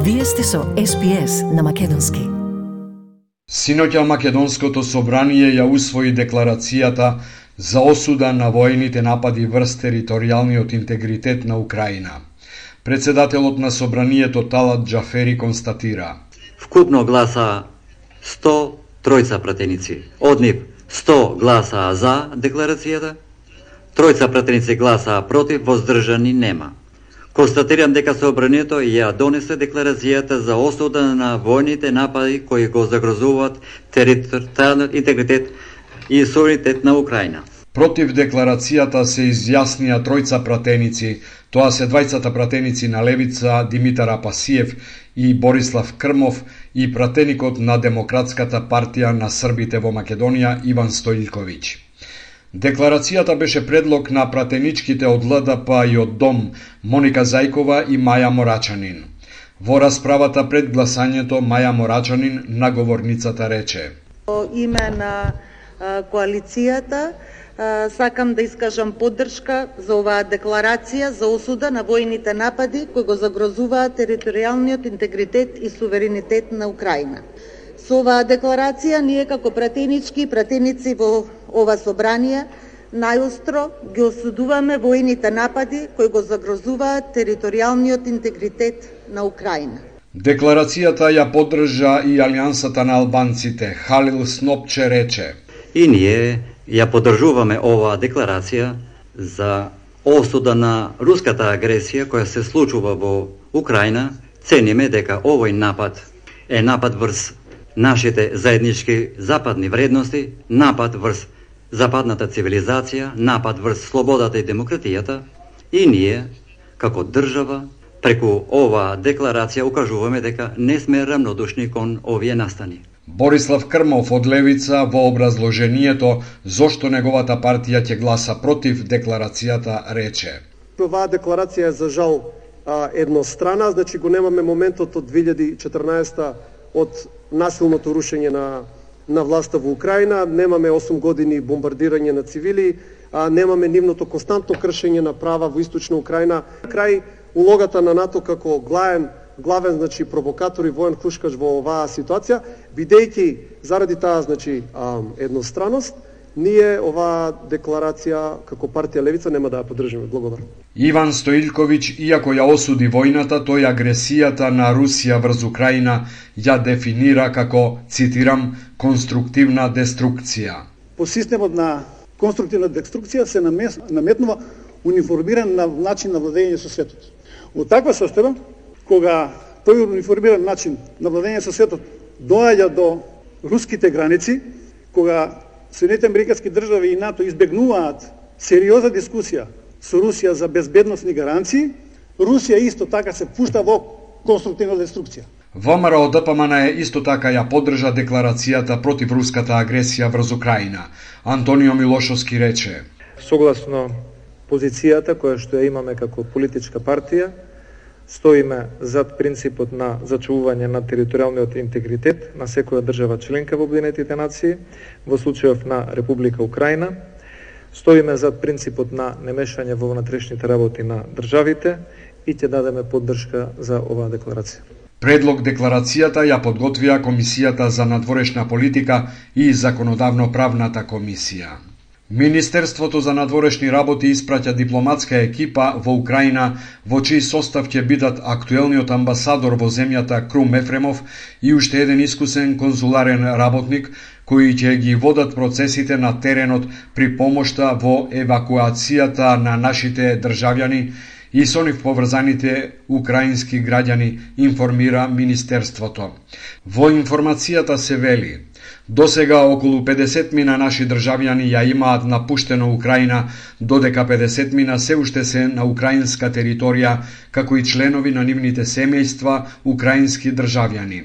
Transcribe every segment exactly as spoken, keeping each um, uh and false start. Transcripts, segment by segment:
Вие сте со Ес Би Ес на македонски. Синоќа Македонското собрание ја усвои декларацијата за осуда на воените напади врз територијалниот интегритет на Украина. Председателот на собранието Талат Џафери констатира: Вкупно гласа сто тројца пратеници. Од нив сто гласа за декларацијата, тројца пратеници гласа против, воздржани нема. Констатирам дека собранието ја донесе декларацијата за осуда на војните напади кои го загрозуваат територијалниот интегритет и суверенитет на Украина. Против декларацијата се изјаснија тројца пратеници, тоа се двајцата пратеници на Левица Димитар Апасиев и Борислав Крмов и пратеникот на Демократската партија на Србите во Македонија Иван Стојлковиќ. Декларацијата беше предлог на пратеничките од Ел Де Пе и од Дом Моника Зајкова и Маја Морачанин. Во расправата пред гласањето Маја Морачанин, наговорницата, рече: Во име на коалицијата сакам да искажам поддршка за оваа декларација за осуда на војните напади кои го загрозуваат територијалниот интегритет и суверенитет на Украина. Со оваа декларација ние како пратенички и пратеници во ова собрание најостро ги осудуваме војните напади кои го загрозуваат територијалниот интегритет на Украина. Декларацијата ја поддржа и Алијансата на албанците. Халил Снопче рече: И ние ја поддржуваме оваа декларација за осуда на руската агресија која се случува во Украина. Цениме дека овој напад е напад врз нашите заеднички западни вредности, напад врз западната цивилизација, напад врз слободата и демократијата, и ние, како држава, преку оваа декларација укажуваме дека не сме рамнодушни кон овие настани. Борислав Крмов од Левица во образложението зошто неговата партија ќе гласа против декларацијата рече: Оваа декларација е за жал еднострана, значи го немаме моментот од две илјади и четрнаесета од насилното рушење на на власта во Украина, немаме осум години бомбардирање на цивили, а немаме нивното константно кршење на права во источна Украина. Крај улогата на НАТО како главен главен значи провокатор и воен хушкач во оваа ситуација, бидејќи заради таа значи едностраност, ние оваа декларација како партија Левица нема да ја поддржиме. Благодарам. Иван Стојлковиќ, иако ја осуди војната, тој агресијата на Русија врз Украина ја дефинира како, цитирам, конструктивна деструкција. По системот на конструктивна деструкција се наметнува униформиран начин на владење со светот. Од таква состојба, кога тој униформиран начин на владење со светот доаѓа до руските граници, кога Соединетите американски држави и НАТО избегнуваат сериозна дискусија со Русија за безбедносни гаранции, Русија исто така се пушта во конструктивна деструкција. ВМРО Д П М Н исто така ја поддржа декларацијата против руската агресија врз Украина. Антонио Милошовски рече: Согласно позицијата која што ја имаме како политичка партија, стоиме зад принципот на зачувување на територијалниот интегритет на секоја држава членка во Обединетите нации, во случајов на Република Украина. Стоиме зад принципот на немешање во внатрешните работи на државите и ќе дадеме поддршка за оваа декларација. Предлог декларацијата ја подготвија Комисијата за надворешна политика и Законодавно-правната комисија. Министерството за надворешни работи испраќа дипломатска екипа во Украина, во чиј состав ќе бидат актуелниот амбасадор во земјата Крум Ефремов и уште еден искусен конзуларен работник, кои ќе ги водат процесите на теренот при помошта во евакуацијата на нашите државјани и со нив поврзаните украински граѓани, информира Министерството. Во информацијата се вели: Досега околу педесет мина наши државјани ја имаат напуштено Украина, додека педесет мина се уште се на украинска територија, како и членови на нивните семејства украински државјани.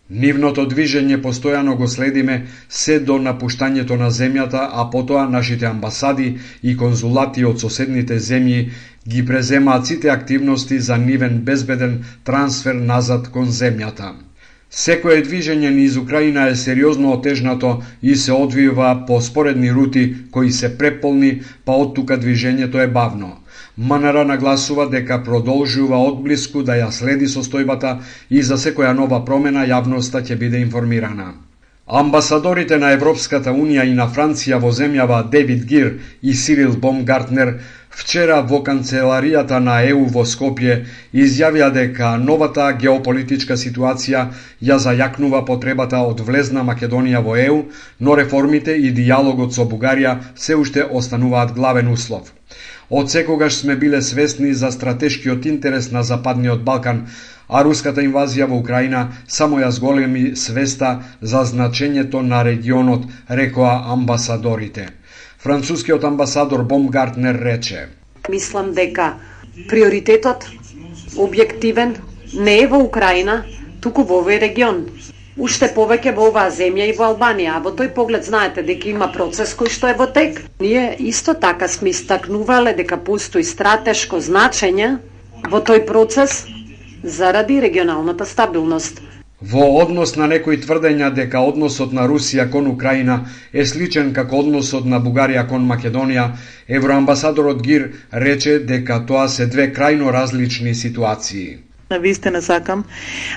Нивното движење постојано го следиме се до напуштањето на земјата, а потоа нашите амбасади и конзулати од соседните земји ги преземаат сите активности за нивен безбеден трансфер назад кон земјата. Секое движење низ Украина е сериозно отежнато и се одвива по споредни рути кои се преполни, па од тука движењето е бавно. МНР нагласува дека продолжува одблиску да ја следи состојбата и за секоја нова промена јавноста ќе биде информирана. Амбасадорите на Европската Унија и на Франција во земјава Девид Гир и Сирил Бомгартнер вчера во канцеларијата на Е У во Скопје изјавија дека новата геополитичка ситуација ја зајакнува потребата од влезна Македонија во Е У, но реформите и дијалогот со Бугарија се уште остануваат главен услов. Од секогаш сме биле свесни за стратешкиот интерес на Западниот Балкан, а руската инвазија во Украина само ја зголеми свеста за значењето на регионот, рекоа амбасадорите. Францускиот амбасадор Бомгартнер рече: Мислам дека приоритетот објективен не е во Украина, туку во овој регион. Уште повеќе во оваа земја и во Албанија, а во тој поглед знаете дека има процес кој што е во тек. Ние исто така сме истакнувале дека постои стратешко значење во тој процес заради регионалната стабилност. Во однос на некои тврдења дека односот на Русија кон Украина е сличен како односот на Бугарија кон Македонија, евроамбасадорот Гир рече дека тоа се две крајно различни ситуации. Навистина сакам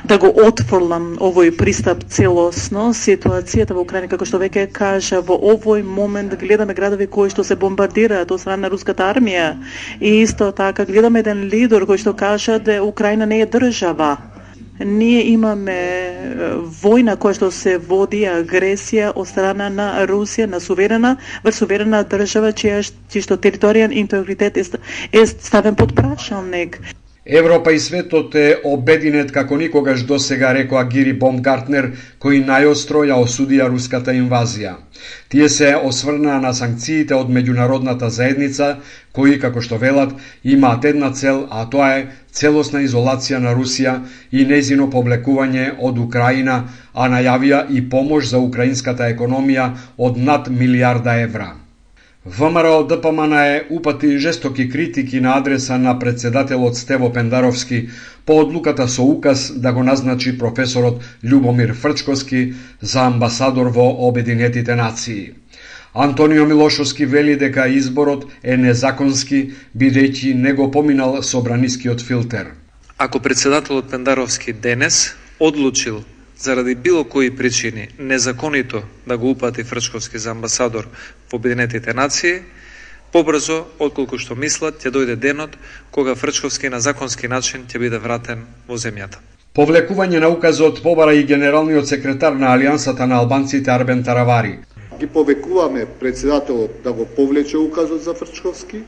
да го отфрлам овој пристап целосно. Ситуацијата во Украина, како што веќе кажа, во овој момент гледаме градови кои што се бомбардираат од страна на руската армија и исто така гледаме еден лидер кој што кажа да Украина не е држава. Ние имаме војна која што се води агресија од страна на Русија на суверена врз суверена држава чија што територијален интегритет е ставен под прашалник. Европа и светот е обединет како никогаш досега, рекоа Гири Бомгартнер, кој најостро ја осудија руската инвазија. Тие се осврнаа на санкциите од меѓународната заедница, кои, како што велат, имаат една цел, а тоа е целосна изолација на Русија и нејзино повлекување од Украина, а најавија и помош за украинската економија од над милијарда евра. ВМРО Д П М Н е упати жестоки критики на адреса на председателот Стево Пендаровски по одлуката со указ да го назначи професорот Љубомир Фрчковски за амбасадор во Обединетите нации. Антонио Милошовски вели дека изборот е незаконски, бидејќи не го поминал собранискиот филтер. Ако председателот Пендаровски денес одлучил заради било кои причини незаконито да го упати Фрчковски за амбасадор во Обединетите нации, побрзо, отколку што мислат, ќе дојде денот кога Фрчковски на законски начин ќе биде вратен во земјата. Повлекување на указот побара и генералниот секретар на Алијансата на албанците Арбен Таравари. Ги повекуваме председателот да го повлече указот за Фрчковски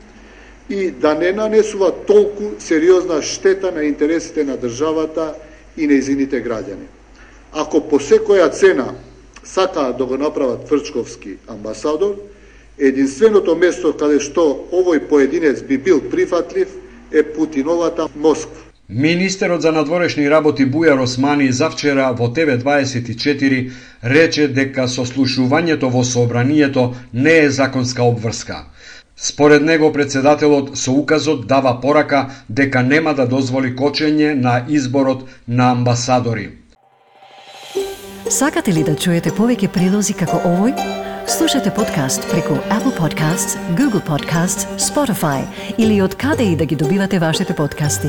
и да не нанесува толку сериозна штета на интересите на државата и нејзините граѓани. Ако по секоја цена сакаат да го направат Фрчковски амбасадор, единственото место каде што овој поединец би бил прифатлив е Путиновата Москва. Министерот за надворешни работи Бујар Османи завчера во Т В дваесет и четири рече дека сослушувањето во собранието не е законска обврска. Според него председателот со указот дава порака дека нема да дозволи кочење на изборот на амбасадори. Сакате ли да чуете повеќе прилози како овој? Слушате подкаст преку Apple Podcasts, Google Podcasts, Spotify или од каде и да ги добивате вашите подкасти.